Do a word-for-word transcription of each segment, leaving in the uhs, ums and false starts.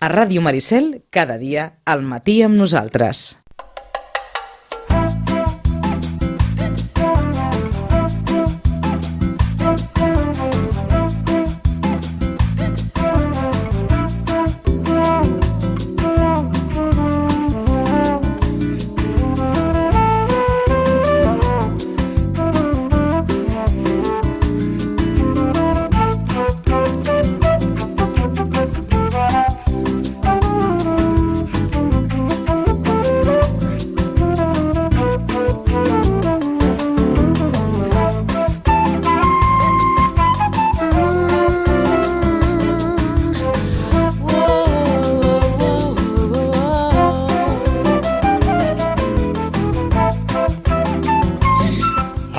A Ràdio Maricel, cada dia, al matí amb nosaltres.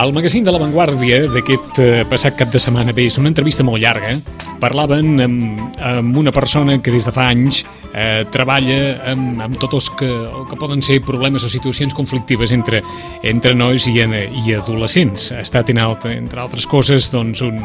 El magazín de La Vanguardia d'aquest eh, passat cap de setmana, bé, és una entrevista molt llarga. Parlaven amb, amb una persona que des de fa anys eh, treballa amb, amb tots els que, el que poden ser problemes o situacions conflictives entre, entre nois i, i adolescents. Ha estat, en alt, entre altres coses, doncs, un,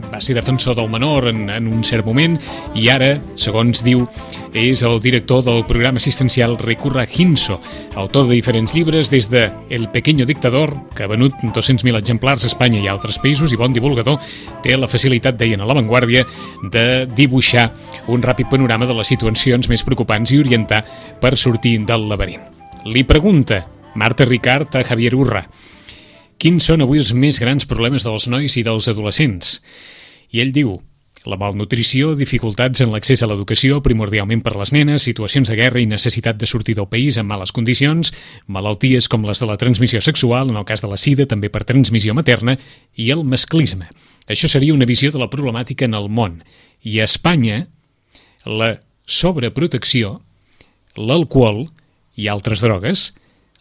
va ser defensor del menor en, en un cert moment i ara, segons diu, és el director del programa assistencial Recurra Hinso, autor de diferents llibres des de El pequeño dictador, que ha venut dos-cents mil exemplars a Espanya i a altres països, i bon divulgador, té la facilitat, deien a La Vanguardia, de dibuixar un ràpid panorama de les situacions més preocupants i orientar per sortir del laberint. Li pregunta Marta Ricart a Javier Urra: quins són avui els més grans problemes dels nois i dels adolescents? I ell diu: la malnutrició, dificultats en l'accés a l'educació, primordialment per les nenes, situacions de guerra i necessitat de sortir del país en males condicions, malalties com les de la transmissió sexual, en el cas de la sida, també per transmissió materna, i el masclisme. Això seria una visió de la problemàtica en el món. I a Espanya, la sobreprotecció, l'alcohol i altres drogues,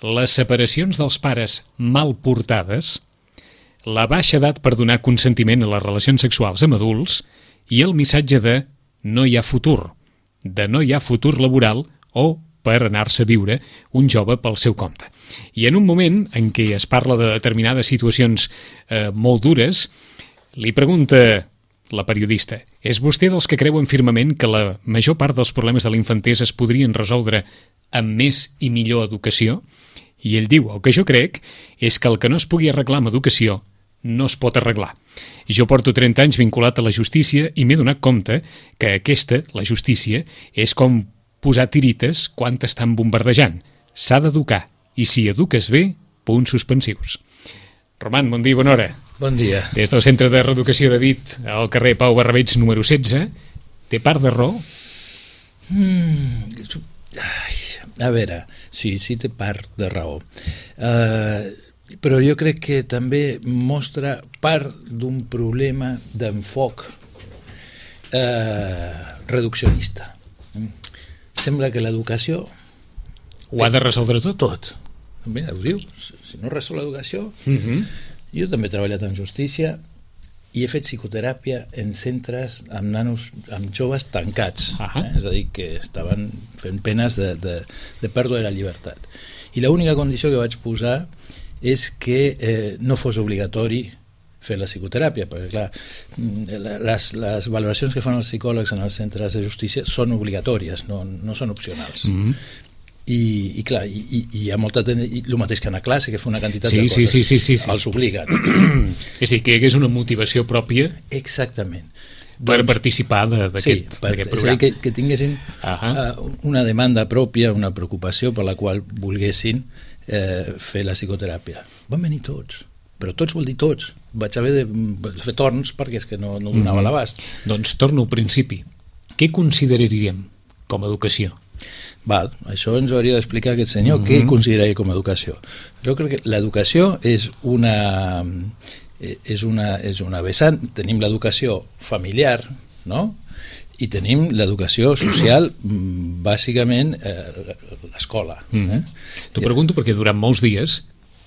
les separacions dels pares mal portades, la baixa edat per donar consentiment a les relacions sexuals amb adults i el missatge de no hi ha futur, de no hi ha futur laboral o per anar-se a viure un jove pel seu compte. I en un moment en què es parla de determinades situacions eh, molt dures, li pregunta la periodista: és vostè dels que creuen firmament que la major part dels problemes de la infantesa es podrien resoldre amb més i millor educació? I ell diu: el que jo crec és que el que no es pugui arreglar amb educació no es pot arreglar. Jo porto trenta anys vinculat a la justícia i m'he donat compte que aquesta, la justícia, és com posar tirites quan t'estan bombardejant. S'ha d'educar, i si eduques bé, punts suspensius. Roman, bon dia i bona hora. Bon dia. Des del Centre de Reeducació de Dit, al carrer Pau Barrabeig número setze, té part de raó? Mm, ai, a veure, sí, sí té part de raó. Uh, però jo crec que també mostra part d'un problema d'enfoc eh, reduccionista. Sembla que l'educació ho ha de resoldre tot? Tot. Mira, ho diu, si no resol l'educació... Uh-huh. Jo també he treballat en justícia i he fet psicoteràpia en centres amb nanos, amb joves tancats, uh-huh. eh? És a dir, que estaven fent penes de, de, de pèrdua de la llibertat. I l'única condició que vaig posar és que eh, no fos obligatori fer la psicoteràpia, perquè clar, les, les valoracions que fan els psicòlegs en els centres de justícia són obligatòries, no, no són opcionals. Mm-hmm. I, i clar, i, i hi ha molta i el mateix que anar a classe, que fa una quantitat sí, de sí, coses, sí, sí, sí, sí. els obliguen. És a dir, que hi hagués una motivació pròpia. Exactament. Per doncs, participar d'aquest sí, programa. És a dir, que, que tinguessin uh-huh. uh, una demanda pròpia, una preocupació per la qual volguessin eh, fer la psicoteràpia. Van venir tots, però tots vol dir tots. Vaig haver de fer torns perquè és que no, no donava mm-hmm. l'abast. Doncs torno al principi. Què consideraríem com a educació? Val, això ens hauria d'explicar aquest senyor, mm-hmm. què consideraria com a educació. Jo crec que l'educació és una... és una, és una vessant. Tenim l'educació familiar, no? I tenim l'educació social, bàsicament eh, l'escola. Mm. Eh? T'ho pregunto perquè durant molts dies,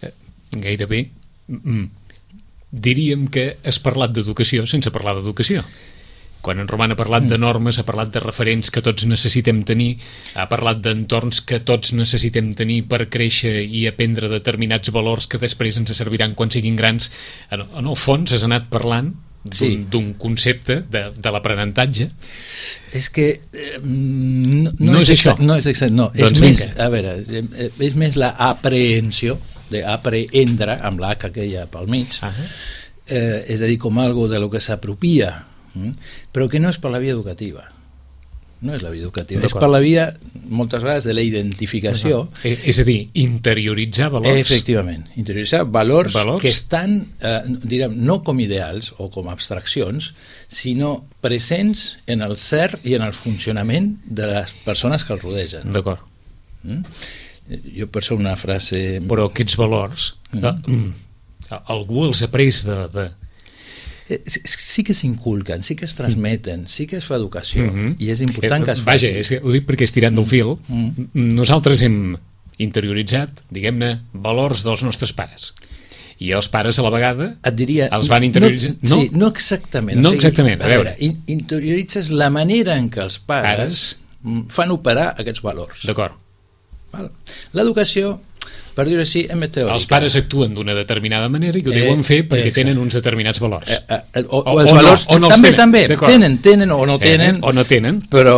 eh, gairebé, mm, diríem que has parlat d'educació sense parlar d'educació. Quan en Roman ha parlat de normes, ha parlat de referents que tots necessitem tenir, ha parlat d'entorns que tots necessitem tenir per créixer i aprendre determinats valors que després ens serviran quan siguin grans. En, en el fons has anat parlant d'un sí. concepte de, de l'aprenentatge. És que eh, no, no és, és exact, això. No és exact, no. Doncs és més, vinga. a veure, és més la aprehensió, d'aprendre, amb l'H aquella pel mig, uh -huh. eh, és a dir, com algo de lo que s'apropia, hm? però que no és per la via educativa. No és la via educativa, és per la via, moltes vegades, de la identificació. Uh -huh. És a dir, interioritzar valors. Efectivament, interioritzar valors, valors. que estan, eh, direm, no com ideals o com abstraccions, sinó presents en el ser i en el funcionament de les persones que el rodegen. D'acord. Mm? Jo per això una frase... Però aquests valors, mm. eh, algú els ha pres de... de... sí que s'inculquen, sí que es transmeten, sí que es fa educació, mm-hmm. i és important que es faci. Vaja, és que ho dic perquè estirant del fil, mm-hmm. nosaltres hem interioritzat, diguem-ne, valors dels nostres pares. I els pares a la vegada et diria, els van interioritzar. No, no? Sí, no exactament. No o sigui, exactament, a veure. A veure, interioritzes la manera en què els pares, pares... fan operar aquests valors. D'acord. L'educació, per dir-ho així, és més teòrica. Els pares actuen d'una determinada manera i ho deuen fer perquè eh, tenen uns determinats valors. Eh, eh, o, o, o els o valors no, o no també, tenen. també tenen, tenen o no tenen, eh, o no tenen. Però,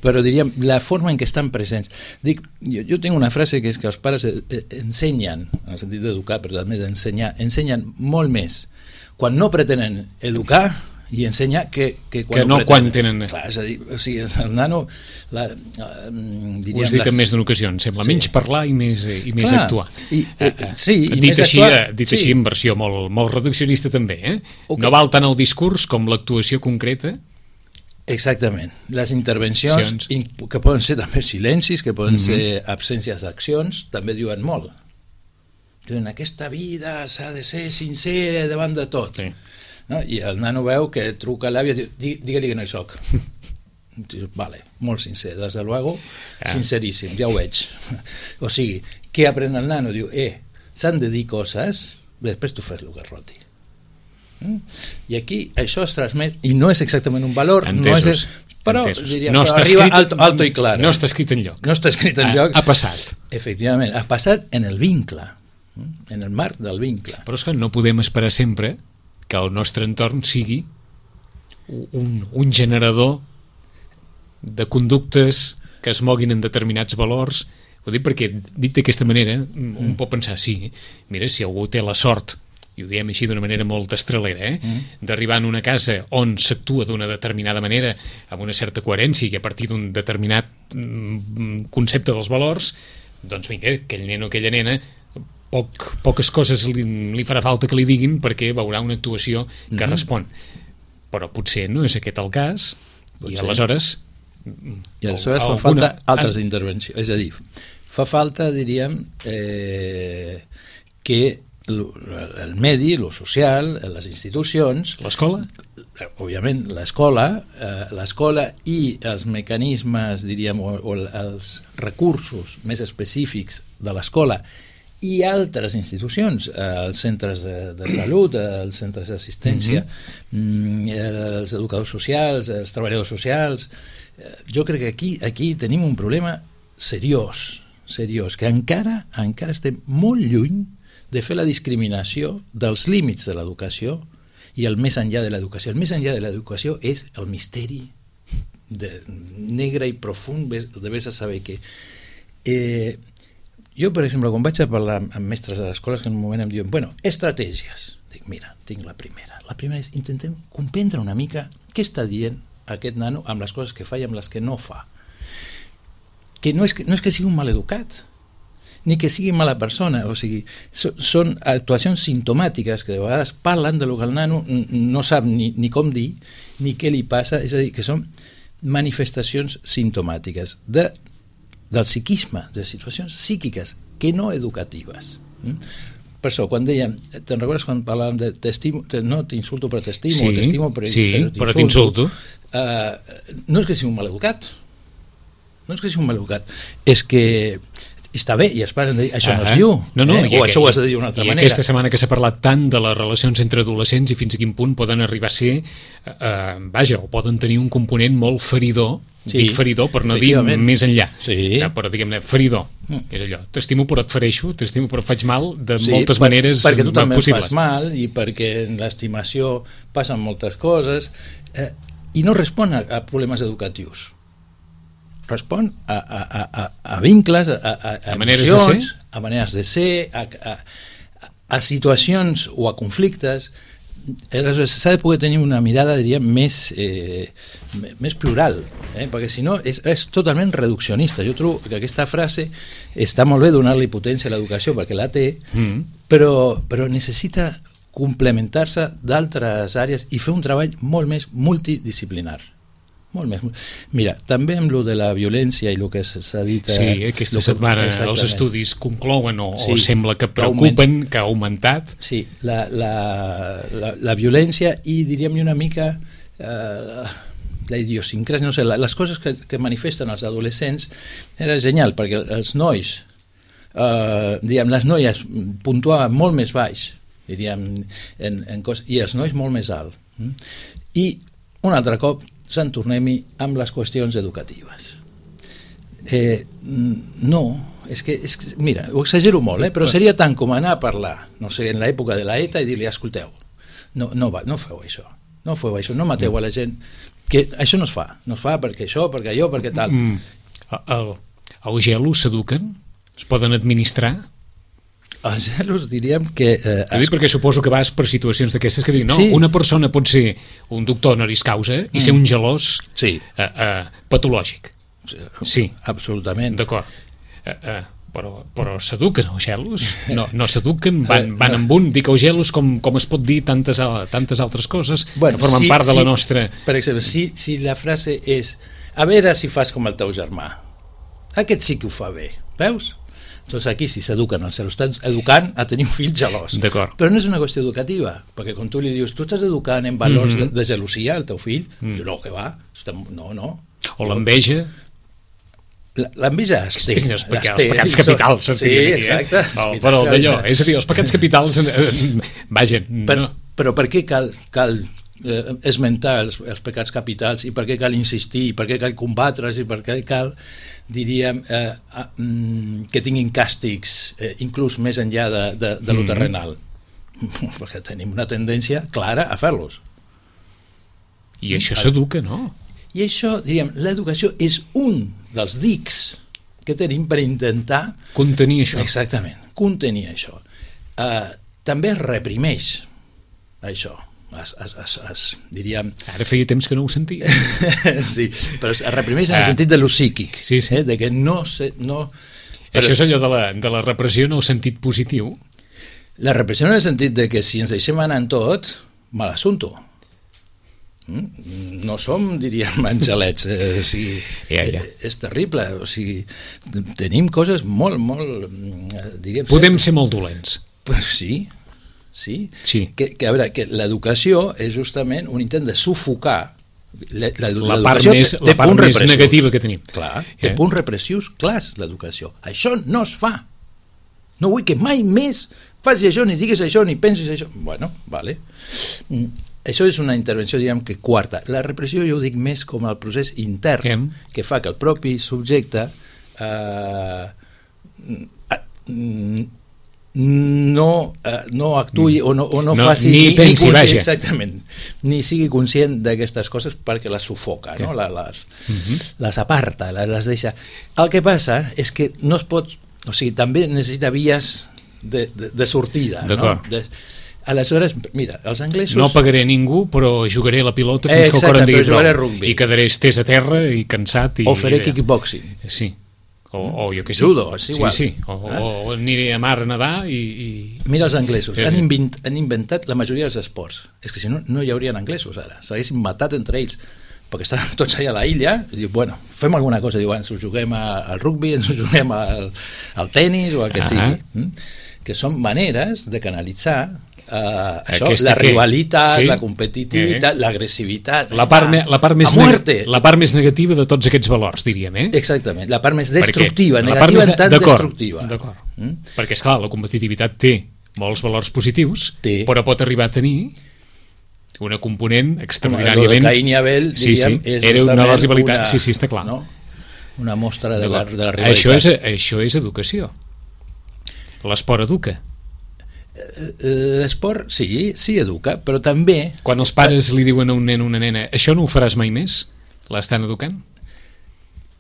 però diríem, la forma en què estan presents. Dic, jo, jo tinc una frase que és que els pares ensenyen, en el sentit d'educar, però també d'ensenyar, ensenyen molt més quan no pretenen educar i ensenyar que, que quan que no, no quan tenen... Clar, és a dir, o sigui, el nano... La, uh, diríem, ho has dit en més d'una ocasió, sembla, sí. Menys parlar i més, i més Clar, actuar. I, eh, sí, i dit més així, actuar. Dit sí. així en versió molt, molt reduccionista també, eh? Okay. No val tant el discurs com l'actuació concreta. Exactament. Les intervencions, que poden ser també silencis, que poden mm-hmm. ser absències d'accions, també diuen molt. En aquesta vida s'ha de ser sincer davant de tot. Sí. No? I el nano veu que truca a l'àvia i diu, digue-li que no hi soc. Vale, molt sincer, des de luego, ah. sinceríssim, ja ho veig. O sigui, què aprèn el nano? Diu, eh, s'han de dir coses, després tu fes el que roti. Mm? I aquí això es transmet, i no és exactament un valor, Entesos. no és... Però, diria, no però arriba alto, alto i clar. No està escrit enlloc. No està escrit enlloc. Ha, ha passat. Efectivament, ha passat en el vincle, en el marc del vincle. Però és que no podem esperar sempre que el nostre entorn sigui un, un generador de conductes que es moguin en determinats valors. Ho dic perquè, dit d'aquesta manera, mm. un pot pensar, sí, mira, si algú té la sort, i ho diem així d'una manera molt estrelera, eh? Mm. d'arribar en una casa on s'actua d'una determinada manera, amb una certa coherència i a partir d'un determinat mm, concepte dels valors, doncs vinga, aquell nen o aquella nena Poc, poques coses li, li farà falta que li diguin perquè veurà una actuació que mm-hmm. respon, però potser no és aquest el cas potser. I aleshores i aleshores fa falta altres ah. intervencions, és a dir, fa falta, diríem, eh, que el medi, lo social, les institucions, l'escola, òbviament l'escola, eh, l'escola i els mecanismes, diríem, o, o els recursos més específics de l'escola i altres institucions, els centres de, de salut, els centres d'assistència, mm-hmm. els educadors socials, els treballadors socials. Jo crec que aquí, aquí tenim un problema seriós, seriós, que encara, encara estem molt lluny de fer la discriminació dels límits de l'educació i el més enllà de l'educació. El més enllà de l'educació és el misteri de, negre i profund, de vés a saber què. Eh, Jo, per exemple, quan vaig a parlar amb mestres de l'escola, que en un moment em diuen, bueno, estratègies. Dic, mira, tinc la primera. La primera és intentem comprendre una mica què està dient aquest nano amb les coses que fa i amb les que no fa. Que no és que, no és que sigui un maleducat, ni que sigui mala persona, o sigui, so, són actuacions simptomàtiques que de vegades parlen de lo que el nano no sap ni, ni com dir, ni què li passa, és a dir, que són manifestacions simptomàtiques de del psiquisme, de situacions psíquiques que no educatives. Per això, quan dèiem, te'n recordes quan parlàvem de t'estimo, no t'insulto però t'estimo, sí, t'estimo però, sí, però t'insulto, uh, no és que sigui un maleducat, no és que sigui un maleducat, és que està bé, i els pares han de dir, això no es diu, no, no, eh? o això ho has de dir d'una altra i manera. I aquesta setmana que s'ha parlat tant de les relacions entre adolescents i fins a quin punt poden arribar a ser, eh, vaja, o poden tenir un component molt feridor, sí, dic feridor per no dir més enllà, sí. ja, però diguem-ne, feridor, mm. és allò, t'estimo però et fereixo, t'estimo però et faig mal de sí, moltes per, maneres perquè tu també possibles. fas mal i perquè en l'estimació passen moltes coses, eh, i no respon a, a problemes educatius. respon a, a, a, a vincles, a, a, a, a maneres de ser, a maneres de ser, a, a, a situacions o a conflictes. Aleshores s'ha de poder tenir una mirada, diríem, més, eh, més plural, eh? Perquè si no és, és totalment reduccionista. Jo trobo que aquesta frase està molt bé donar-li potència a l'educació perquè la té, mm. però, però necessita complementar-se d'altres àrees i fer un treball molt més multidisciplinar. Molt més. Mira, també amb lo de la violència i el que s'ha dit... Sí, aquesta setmana que, els estudis conclouen o, sí, o sembla que preocupen, que ha augmentat. Sí, la, la, la, la violència i diríem una mica eh, la idiosincràsia, no sé, les coses que, que manifesten els adolescents era genial, perquè els nois, eh, diguem, les noies puntuaven molt més baix, diríem, en, en cos, i els nois molt més alt. I un altre cop se'n tornem-hi amb les qüestions educatives. Eh, no, és que, és que, mira, ho exagero molt, eh, però seria tant com anar a parlar, no sé, en l'època de la ETA i dir-li, escolteu, no, no, va, no feu això, no feu això, no mateu a la gent, que això no es fa, no es fa perquè això, perquè allò, perquè tal. Mm, el, els gelos s'eduquen? Es poden administrar? Els gelos diríem que... Eh, es... perquè suposo que vas per situacions d'aquestes que diuen, no, sí. Una persona pot ser un doctor honoris causa i mm. ser un gelós sí. eh, eh, patològic. Sí. Absolutament. D'acord. Eh, eh, però però s'eduquen els gelos? No, no s'eduquen, van, van amb un, dic els gelos com, com es pot dir tantes, tantes altres coses bueno, que formen sí, part de sí, la nostra... Per exemple, si, si la frase és a veure si fas com el teu germà, aquest sí que ho fa bé, veus? Doncs aquí sí s'eduquen, se l'estan educant a tenir un fill gelós. Però no és una qüestió educativa, perquè quan tu li dius tu estàs educant en valors mm -hmm. de, de gelosia al teu fill, mm. no, que va, no, no. O l'enveja. L'enveja es té. Els, peca, els pecats capitals. Sí, exacte. Eh? Oh, però d'allò, és a dir, els pecats capitals, eh, vaja. Però, no. però per què cal, cal eh, esmentar els, els pecats capitals i per què cal insistir i per què cal combatre's i per què cal... diríem, eh, eh, que tinguin càstigs eh, inclús més enllà de, de, de lo terrenal. Mm. Perquè tenim una tendència clara a fer-los. I això s'educa, no? I això, diríem, l'educació és un dels dics que tenim per intentar... Contenir això. Exactament, contenir això. Eh, també es reprimeix això. Es, es, es, es, diríem... Ara feia temps que no ho sentia. Sí, però es reprimeix en el sentit de lo psíquic, sí, sí. Eh, de que no... Se, no però això és allò de la, de la repressió en el sentit positiu? La repressió en el sentit de que si ens deixem anar en tot, mal assunto. No som, diríem, angelets, eh, o sigui, ja, ja. Eh, és terrible, o sigui, tenim coses molt, molt... Diríem, podem ser molt dolents. Pues sí, sí, sí. Que, que, a veure, que l'educació és justament un intent de sufocar la, la, la part més, la part més negativa que tenim. Clar, té eh? punts repressius clars l'educació. Això no es fa. No vull que mai més facis això, ni diguis això, ni pensis això. Bueno, vale. Això és una intervenció, diguem, que quarta. La repressió jo ho dic més com el procés intern Em? que fa que el propi subjecte eh, no, eh, no actuï o no, o no, no faci ni, ni, pensi, ni vaja. Exactament, ni sigui conscient d'aquestes coses perquè les sufoca, no? les, uh-huh. les aparta, les, les deixa. El que passa és que no es pot, o sigui, també necessita vies de, de, de sortida, no? De, aleshores, mira, els anglesos... No pagaré ningú, però jugaré la pilota fins eh, que el cor em digui prou. I quedaré estès a terra i cansat. I, o faré kickboxing. Sí. O, o jo què sé. Judo, és igual. Sí, sí. O, eh? o aniré a mar a nedar i... i... Mira els anglesos, han, invent, han inventat la majoria dels esports. És que si no, no hi haurien anglesos ara. S'haguessin matat entre ells, perquè estaven tots allà a la illa, i diu, bueno, fem alguna cosa, diu, ens ho juguem al rugby, ens ho juguem al, al tennis o al que ah sigui. Que són maneres de canalitzar Uh, això, la que... rivalitat, sí? La competitivitat, eh? L'agressivitat, la part, me, la, part més neg... la part més negativa de tots aquests valors, diríem, eh? Exactament, la part més destructiva, Perquè negativa en tant destructiva. D'acord, mm? Perquè, esclar, la competitivitat té molts valors positius, té. Però pot arribar a tenir una component extraordinàriament... El de Caín i Abel, sí, diríem, sí. és Era una rivalitat, una... sí, sí, està clar. No? Una mostra de la, de la rivalitat. Això és, això és educació. L'esport educa. L'esport, sí, sí educa, però també... Quan els pares li diuen a un nen o una nena això no ho faràs mai més, l'estan educant?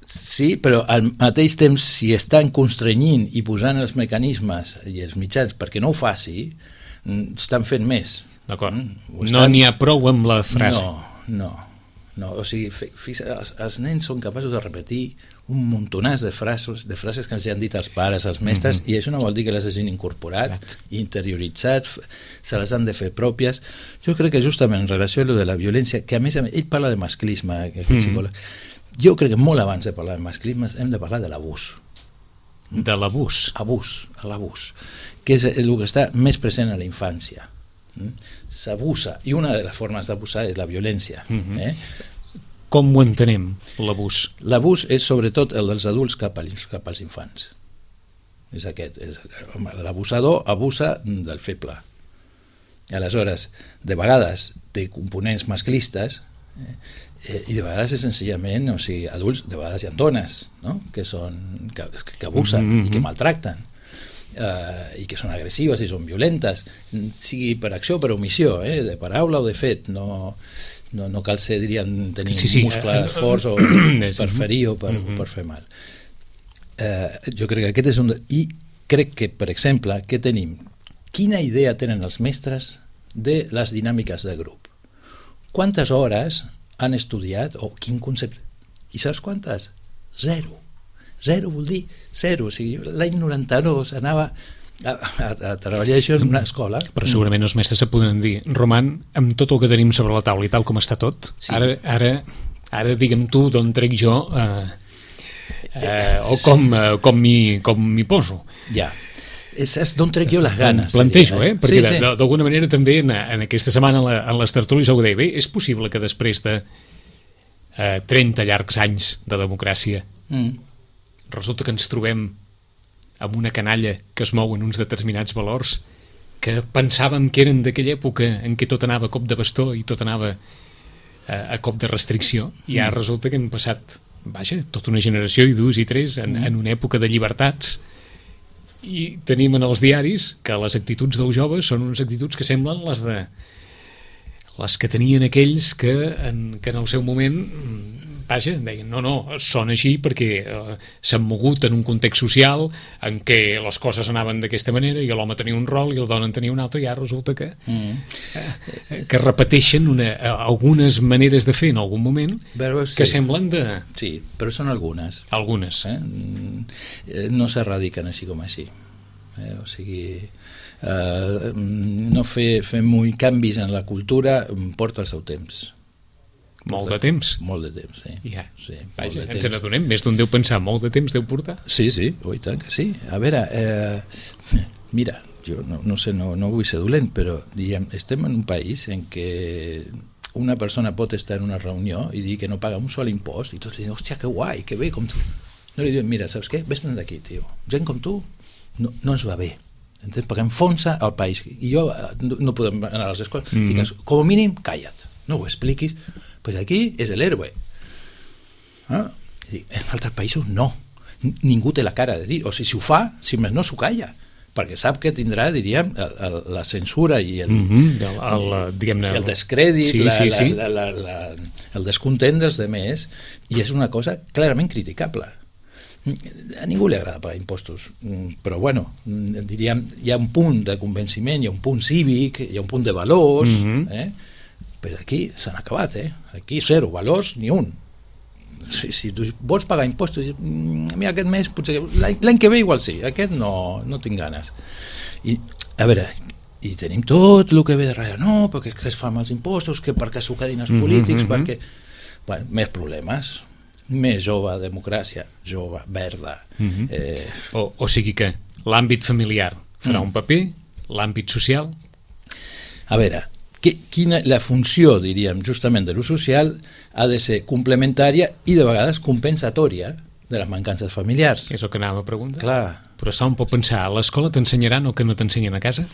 Sí, però al mateix temps, si estan constrenyint i posant els mecanismes i els mitjans perquè no ho faci, estan fent més. D'acord. Mm, estan... No n'hi ha prou amb la frase. No, no. no. O sigui, els, els nens són capaços de repetir un muntonàs de frases, de frases que els han dit els pares, els mestres, mm-hmm. i això no vol dir que les hagin incorporat, Exacte. interioritzat, se les han de fer pròpies. Jo crec que justament en relació a lo de la violència, que a més a més, ell parla de masclisme, aquest mm-hmm. psicòleg, jo crec que molt abans de parlar de masclisme hem de parlar de l'abús. De l'abús? Abús, l'abús, que és el que està més present a la infància. S'abusa, i una de les formes d'abusar és la violència. Mm-hmm. eh? Com ho entenem, l'abús? L'abús és sobretot el dels adults cap als, cap als infants. És aquest. És, l'abusador abusa del feble. Aleshores, de vegades té components masclistes eh, i de vegades és senzillament, o sigui, adults, de vegades hi ha dones, no? que, són, que, que abusen mm-hmm. i que maltracten. Uh, i que són agressives i són violentes, sigui per acció o per omissió, eh? de paraula o de fet, no, no, no cal ser, diríem, tenir sí, sí. muscles forts o per ferir o per, mm-hmm. per fer mal. Uh, jo crec que aquest és un... I crec que, per exemple, què tenim? Quina idea tenen els mestres de les dinàmiques de grup? Quantes hores han estudiat o quin concepte? I saps quantes? Zero. Zero vol dir zero, o sigui, l'any noranta-dos anava a, a, a treballar això en una escola. Però segurament els mestres se podran dir, Roman, amb tot el que tenim sobre la taula i tal com està tot, sí. ara, ara, ara digue'm tu d'on trec jo eh, eh, o com, eh, com m'hi com m'hi poso. Ja, és, és d'on trec jo les ganes. Plantejo, eh? Perquè sí, sí. d'alguna manera també en, en aquesta setmana en, la, en les tertúlies ho deia, bé, és possible que després de eh, trenta llargs anys de democràcia mm. resulta que ens trobem amb una canalla que es mou en uns determinats valors que pensàvem que eren d'aquella època en què tot anava a cop de bastó i tot anava a, a cop de restricció, i ara resulta que hem passat, vaja, tota una generació i dues i tres en, en una època de llibertats, i tenim en els diaris que les actituds dels joves són unes actituds que semblen les de les que tenien aquells que en, que en el seu moment vaja, deien, no, no, són així perquè eh, s'han mogut en un context social en què les coses anaven d'aquesta manera i l'home tenia un rol i la dona en tenia un altre, i ara resulta que mm. eh, que repeteixen una, algunes maneres de fer en algun moment però, sí. que semblen de... Sí, però són algunes. Algunes. Eh? No s'erradiquen així com així. Eh? O sigui... Eh, no fer, fer molt canvis en la cultura porta el seu temps. Molt de temps? Molt de temps, sí. Ja. sí Vaja, ens n'adonem, més d'un deu pensar, molt de temps deu portar? Sí, sí, oi tant que sí. A veure, eh, mira, jo no, no sé, no, no vull ser dolent, però diguem, estem en un país en què una persona pot estar en una reunió i dir que no paga un sol impost i tots diuen, hòstia, que guai, que bé, com tu. No li diuen, mira, saps què? Vés-te'n d'aquí, tio. Gent com tu no, no ens va bé. Entens? Perquè enfonsa el país. I jo no, no podem anar a les escoles. Mm-hmm. Digues, com a mínim, calla't. No ho expliquis. Pues aquí és l'héroe. Ah? En altres països no. Ningú té la cara de dir. O sigui, si ho fa, si més no s'ho calla. Perquè sap que tindrà, diríem, el, el, la censura i el, mm-hmm. el, el, diguem-ne, el descrèdit, sí, la, sí, sí. La, la, la, la, el descontent dels demés, i és una cosa clarament criticable. A ningú li agrada pagar impostos, però bueno, diríem, hi ha un punt de convenciment, hi ha un punt cívic, hi ha un punt de valors, mm-hmm. eh? Però aquí s'han acabat, eh? Aquí zero, valors ni un. Si, si tu vols pagar impostos, mira, aquest mes potser, l'any que ve igual sí, aquest no, no tinc ganes. I, a veure, i tenim tot el que ve de darrere, no, perquè es fa amb els impostos, que perquè s'ho quedin els polítics, mm-hmm. perquè... Bueno, més problemes, més jove, democràcia, jove, verda. Mm-hmm. eh... o, o sigui que l'àmbit familiar farà mm. un paper, l'àmbit social... A veure, que, quina, la funció, diríem, justament de l'ús social ha de ser complementària i de vegades compensatòria de les mancances familiars. És el que anàvem a preguntar. Clar. Però això em pot pensar, a l'escola t'ensenyaran el que no t'ensenyen a casa?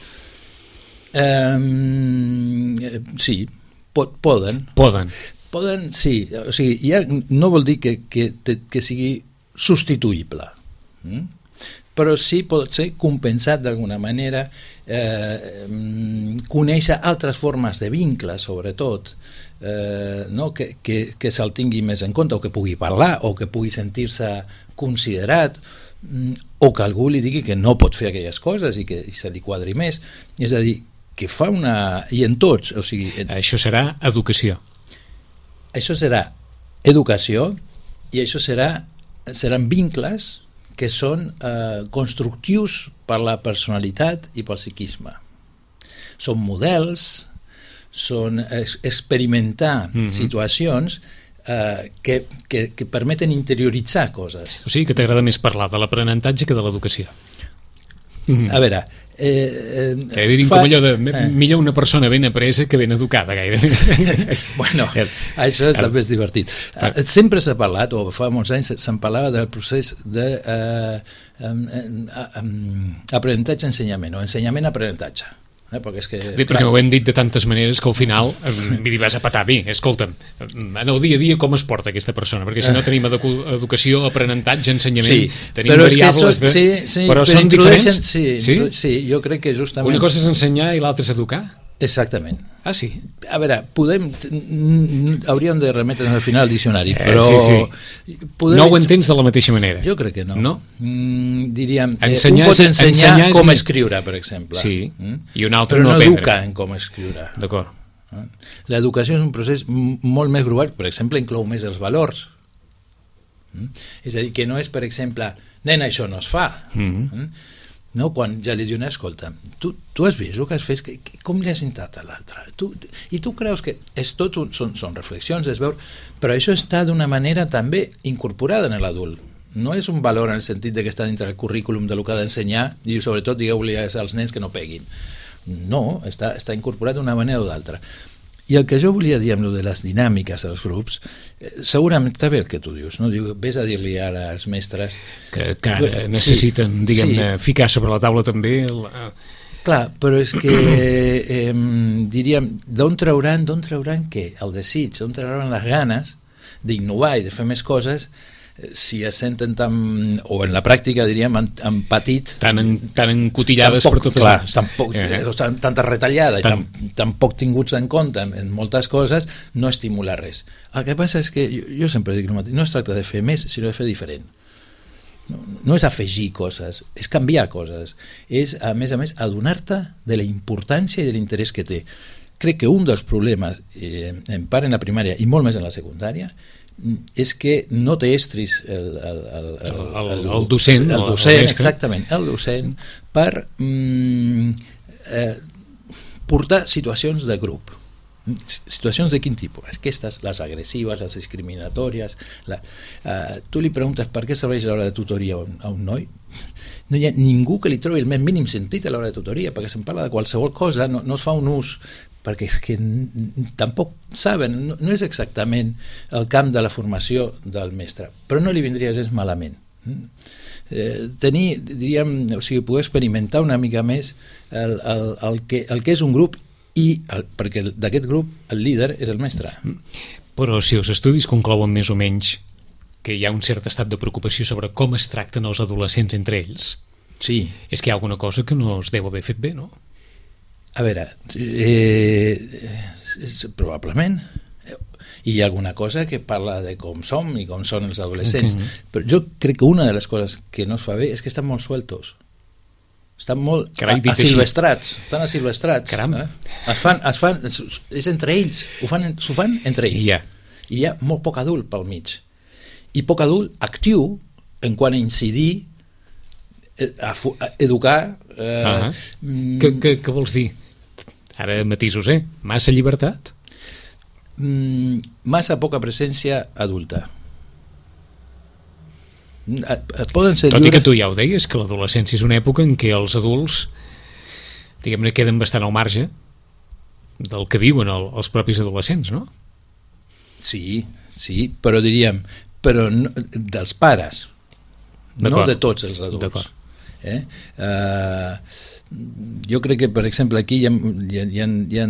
Um, sí, pot, poden. Poden. Poden, sí. O sigui, ja no vol dir que, que, que sigui substituïble. Mm? però sí pot ser compensat d'alguna manera, eh, conèixer altres formes de vincle, sobretot, eh, no? que, que, que se'l tingui més en compte, o que pugui parlar, o que pugui sentir-se considerat, o que algú li digui que no pot fer aquelles coses i que i se li quadri més. És a dir, que fa una... I en tots, o sigui... En... Això serà educació. Això serà educació i això serà, seran vincles que són eh, constructius per la personalitat i pel psiquisme. Són models, són es, experimentar mm-hmm. situacions eh, que, que, que permeten interioritzar coses. O sigui que t'agrada més parlar de l'aprenentatge que de l'educació. Mm. A veure... Eh, eh, dir, fa... com allò de eh. millor una persona ben apresa que ben educada, gairebé. Bueno, això és també és divertit. Eh, sempre s'ha parlat, o fa molts anys se'n parlava del procés de eh, aprenentatge-ensenyament, o ensenyament-aprenentatge. Eh, perquè és que, sí, perquè ho hem dit de tantes maneres que al final m'hi vas a patar bé. Escolta'm, en el dia a dia com es porta aquesta persona? Perquè si no tenim edu educació, aprenentatge, ensenyament, sí, tenim variables de... Sí, sí, però, però són diferents? Sí, sí? sí, jo crec que justament... Una cosa és ensenyar i l'altra és educar? Exactament. Ah, sí? A veure, podem... Hauríem de remetre'ns al final al diccionari, però... Eh, sí, sí. Podem... No ho entens de la mateixa manera? Jo crec que no. No? Mm, diríem, ensenyar, un pot ensenyar, ensenyar com és... escriure, per exemple. Sí, mm? i un altre però no, no aprendre. educa en com escriure. D'acord. L'educació és un procés molt més global, per exemple, inclou més els valors. Mm? És a dir, que no és, per exemple, nen, això no es fa. Mm-hmm. Mm? No? Quan ja li diuen, escolta, tu, tu has vist el que has fet, que, que, com li has sentat a l'altre? I tu creus que és tot un, són, són reflexions, es veu, però això està d'una manera també incorporada en l'adult. No és un valor en el sentit de que està dintre del currículum de lo que ha d'ensenyar i sobretot digueu-li als nens que no peguin. No, està, està incorporat d'una manera o d'altra. I el que jo volia dir amb lo de les dinàmiques dels grups, eh, segurament està bé el que tu dius, no? Diu, vés a dir-li ara als mestres... Que, que ara necessiten, sí, diguem-ne, sí. ficar sobre la taula també... El... Clar, però és que, eh, diríem, d'on trauran, d'on trauran què? El desig, d'on trauran les ganes d'innovar i de fer més coses si es senten tan, o en la pràctica diríem en, en petit, tan, en, tan encotillades tampoc, per totes clar, les tampoc, eh. tan, tanta retallada tan... i tan, tan poc tinguts en compte en, en moltes coses, no estimula res. El que passa és que jo, jo sempre dic el mateix, no es tracta de fer més sinó de fer diferent. No, no és afegir coses, és canviar coses, és a més a més adonar-te de la importància i de l'interès que té. Crec que un dels problemes, eh, en part en la primària i molt més en la secundària, és que no té estris el, el, el, el, el, el, el docent, el docent el exactament, el docent per mm, eh, portar situacions de grup. Situacions de quin tipus? Aquestes, les agressives, les discriminatòries. La, eh, tu li preguntes per què serveix l'hora de tutoria a un, a un noi? No hi ha ningú que li trobi el més mínim sentit a l'hora de tutoria, perquè se'n parla de qualsevol cosa, no, no es fa un ús, perquè és que tampoc saben, no, no és exactament el camp de la formació del mestre, però no li vindria gens malament. Eh, tenir, diríem, o sigui, poder experimentar una mica més el, el, el, que, el que és un grup i el, perquè d'aquest grup el líder és el mestre. Però si els estudis conclouen més o menys que hi ha un cert estat de preocupació sobre com es tracten els adolescents entre ells, sí. És que hi ha alguna cosa que no es deu haver fet bé, no? A veure, eh, probablement hi ha alguna cosa que parla de com som i com són els adolescents, okay. Però jo crec que una de les coses que no es fa bé és que estan molt sueltos, estan molt Carai, asilvestrats, estan asilvestrats. Caram. Eh? Es fan, es fan, és entre ells, ho fan, s'ho fan entre ells. Yeah. I hi ha molt poc adult pel mig. I poc adult actiu en quant a incidir, a, a educar... Eh, uh -huh. què, què, què vols dir? Ara matisos, eh? Massa llibertat? Mm, massa poca presència adulta. Et poden ser Tot lliures... i que tu ja ho deies, que l'adolescència és una època en què els adults, diguem-ne, queden bastant al marge del que viuen el, els propis adolescents, no? Sí, sí, però diríem, però no, dels pares, no de tots els adults. Eh? Uh, jo crec que, per exemple, aquí hi ha, hi ha, hi ha, hi ha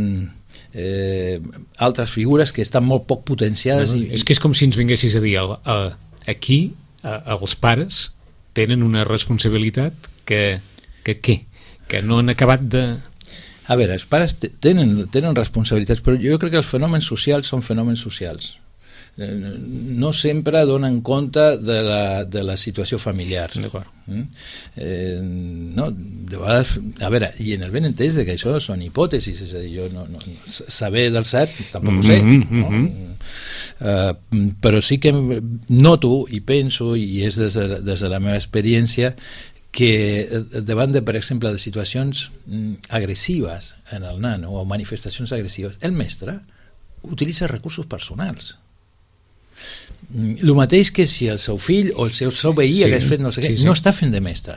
eh, altres figures que estan molt poc potenciades. No, no, i, és que és com si ens vinguessis a dir a, a, aquí, a, als pares, tenen una responsabilitat que, que què? Que no han acabat de... A veure, els pares tenen, tenen responsabilitats, però jo crec que els fenòmens socials són fenòmens socials. No sempre donen compte de la, de la situació familiar. D'acord. Eh, no, de vegades, a veure, i en el ben entès que això són hipòtesis, és a dir, jo no, no, saber del cert tampoc ho sé, mm-hmm, no? Uh, però sí que noto i penso, i és des de, des de la meva experiència, que davant de, per exemple, de situacions agressives en el nano o manifestacions agressives, el mestre utilitza recursos personals. El mateix que si el seu fill o el seu, seu veí sí, hagués fet no sé què, sí, sí. no està fent de mestre,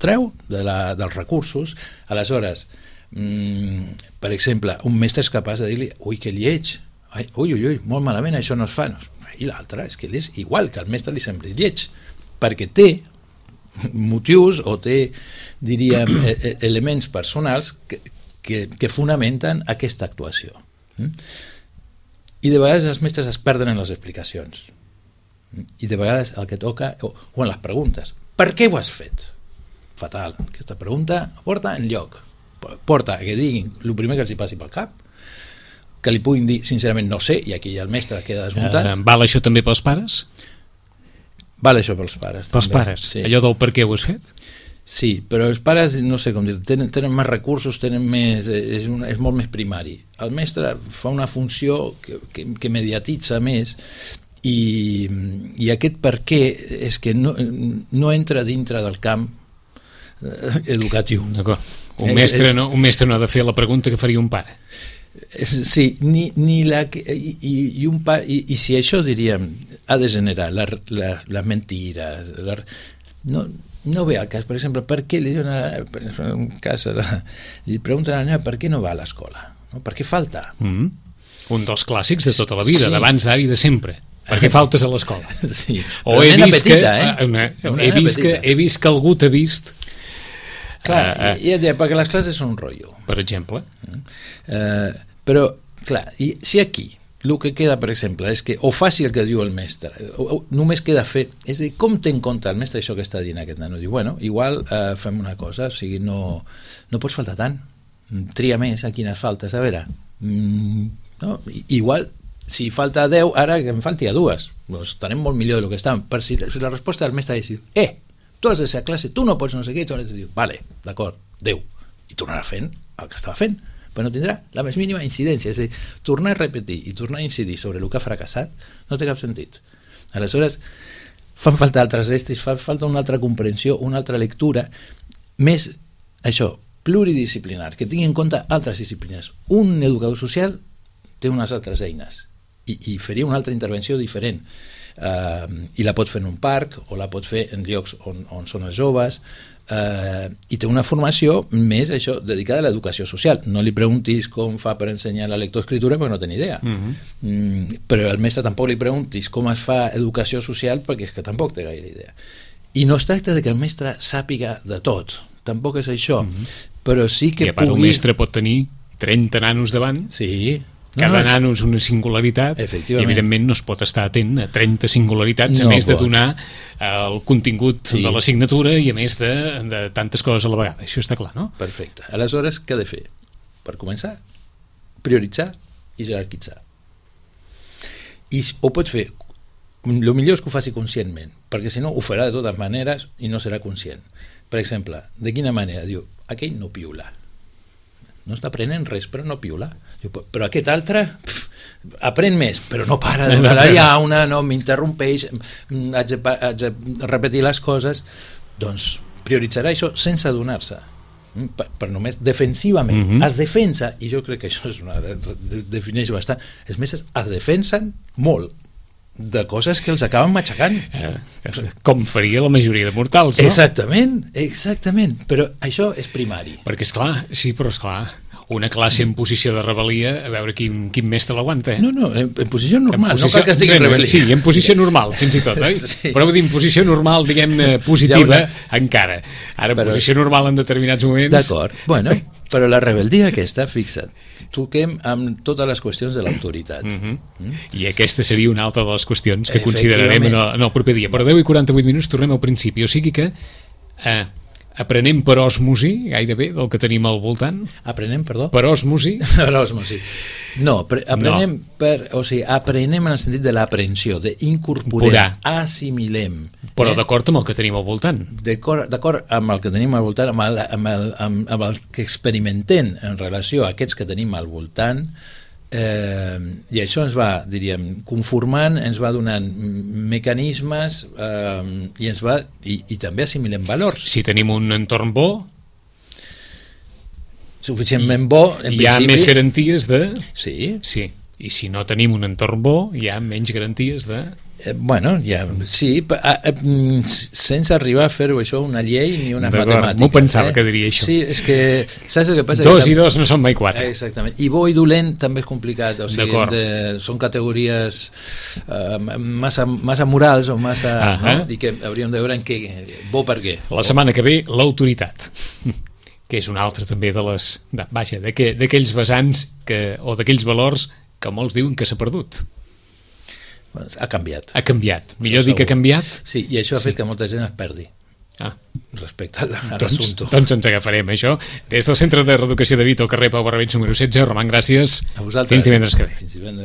treu de la, dels recursos. Aleshores, mmm, per exemple, un mestre és capaç de dir-li ui, que lleig, ai, ui, ui, ui, molt malament, això no es fa. I l'altre és que és igual, que el mestre li sembli lleig, perquè té motius o té, diríem, elements personals que, que, que fonamenten aquesta actuació. I de vegades els mestres es perden en les explicacions. I de vegades el que toca, o, o en les preguntes, per què ho has fet? Fatal. Aquesta pregunta porta en lloc. Porta que diguin el primer que els hi passi pel cap, que li puguin dir, sincerament, no sé, i aquí el mestre queda desmuntat. Uh, val això també pels pares? Val això pels pares. Pels també. pares? Sí. Allò del per què ho has fet? Sí, però els pares, no sé com dir, tenen, tenen més recursos, tenen més, és, un, és molt més primari. El mestre fa una funció que, que, que mediatitza més i, i aquest per què és que no, no entra dintre del camp educatiu. D'acord. Un, mestre, és, no, un mestre no ha de fer la pregunta que faria un pare. Sí, ni, ni la, i, i, un pa, i, i si això, diríem, ha de generar la, la, les mentires, la, no... No ve al cas, per exemple, per què li diuen a, per exemple, un cas, li pregunten a la nena per què no va a l'escola, no? Per què falta? Mm. Un dels clàssics de tota la vida, sí. D'abans, d'ara i de sempre. Per què faltes a l'escola? Sí. O he vist, petita, que, eh? una, he, vist que, he vist que algú t'ha vist. Clar, uh, uh, i, i, perquè les classes són un rotllo. Per exemple. Uh, però, clar, i si aquí el que queda, per exemple, és que o faci el que diu el mestre, o, o només queda fer, és a dir, com té en compte el mestre això que està dient aquest nano? Diu, bueno, igual eh, fem una cosa, o sigui, no, no pots faltar tant, tria més a quines faltes, a veure, mm, no? Igual, si falta deu, ara que em falti a dues, doncs estarem molt millor del que estem, per si, si la resposta del mestre és dir, eh, tu has de ser a classe, tu no pots no sé què, i tu has de dir, vale, d'acord, deu, i tornarà fent el que estava fent, però no tindrà la més mínima incidència, és a dir, tornar a repetir i tornar a incidir sobre el que ha fracassat no té cap sentit. Aleshores, fan falta altres estris, fa falta una altra comprensió, una altra lectura, més, això, pluridisciplinar, que tingui en compte altres disciplines. Un educador social té unes altres eines i, i faria una altra intervenció diferent. Uh, i la pot fer en un parc o la pot fer en llocs on, on són els joves, Uh, i té una formació més això dedicada a l'educació social. No li preguntis com fa per ensenyar la lectoescritura perquè no té ni idea. Uh-huh. mm, però al mestre tampoc li preguntis com es fa educació social perquè és que tampoc té gaire idea. I no es tracta de que el mestre sàpiga de tot, tampoc és això, uh-huh. però sí que I a part pugui... un mestre pot tenir trenta nanos davant. Sí. Cada no, nano és una singularitat i evidentment no es pot estar atent a trenta singularitats no a més pot. De donar el contingut sí. de l'assignatura i a més de, de tantes coses a la vegada, això està clar, no? Perfecte. Aleshores, què ha de fer? Per començar, prioritzar i jerarquitzar. I ho pot fer, el millor és que ho faci conscientment, perquè si no ho farà de totes maneres i no serà conscient. Per exemple, de quina manera? Diu, aquell no piula. No està aprenent res, però no piula. Diu, però aquest altre pf, aprèn més, però no para de donar ja una, no, m'interrompeix, haig de, haig de repetir les coses. Doncs prioritzarà això sense adonar-se, per, per només defensivament. Mm-hmm. Es defensa, i jo crec que això és una, defineix bastant, els mestres es defensen molt de coses que els acaben matxacant. Eh, com faria la majoria de mortals, no? Exactament, exactament, però això és primari. Perquè, esclar, sí, però esclar, una classe en posició de rebel·lia, a veure quin, quin mestre l'aguanta, eh? No, no, en, en posició normal, en posició, no cal que estigui en rebel·lia. Sí, en posició normal, fins i tot, eh? Sí. Però vull dir, en posició normal, diguem-ne, positiva, una... encara. Ara, en però... posició normal en determinats moments... D'acord, bueno... Però la rebeldia aquesta, fixa't, toquem amb totes les qüestions de l'autoritat. Mm-hmm. mm? I aquesta seria una altra de les qüestions que considerarem en el, en el proper dia. Però deu i quaranta-vuit minuts tornem al principi, o sigui que eh, aprenem per osmosi gairebé del que tenim al voltant. Aprenem, perdó? Per osmosi? Per osmosi. No, pre aprenem no. per, o sigui, aprenem en el sentit de l'aprehensió, d'incorporar, assimilem. Però eh? d'acord amb el que tenim al voltant. D'acord amb el que tenim al voltant, amb el, amb, el, amb, amb el que experimentem en relació a aquests que tenim al voltant, eh, i això ens va, diríem, conformant, ens va donant mecanismes eh, i ens va, i, i també assimilem valors. Si tenim un entorn bo, suficientment bo, en hi ha principi, més garanties de... Sí. Sí. I si no tenim un entorn bo, hi ha menys garanties de... Eh, bueno, ja, sí, a, a, sense arribar a fer-ho això una llei ni una matemàtica. M'ho pensava eh? que diria això. Sí, és que saps el que passa? Dos que i dos no són mai quatre. Eh, exactament. I bo i dolent també és complicat, o sigui, de, són categories uh, massa, massa morals o massa... Uh -huh. no? I que hauríem de veure en què, bo per què. La setmana que ve, l'autoritat, que és una altra també de les... De, vaja, d'aquells vessants que, o d'aquells valors que molts diuen que s'ha perdut. Ha canviat. Ha canviat. Millor dir que ha canviat? Sí, i això ha fet sí. que molta gent es perdi. Ah. Respecte a doncs, l'assumpte. doncs ens agafarem, això. Des del Centre de Reeducació de Vito, al carrer Pau Barrabets, número setze. Roman, gràcies. A vosaltres. Fins divendres que ve. Fins divendres.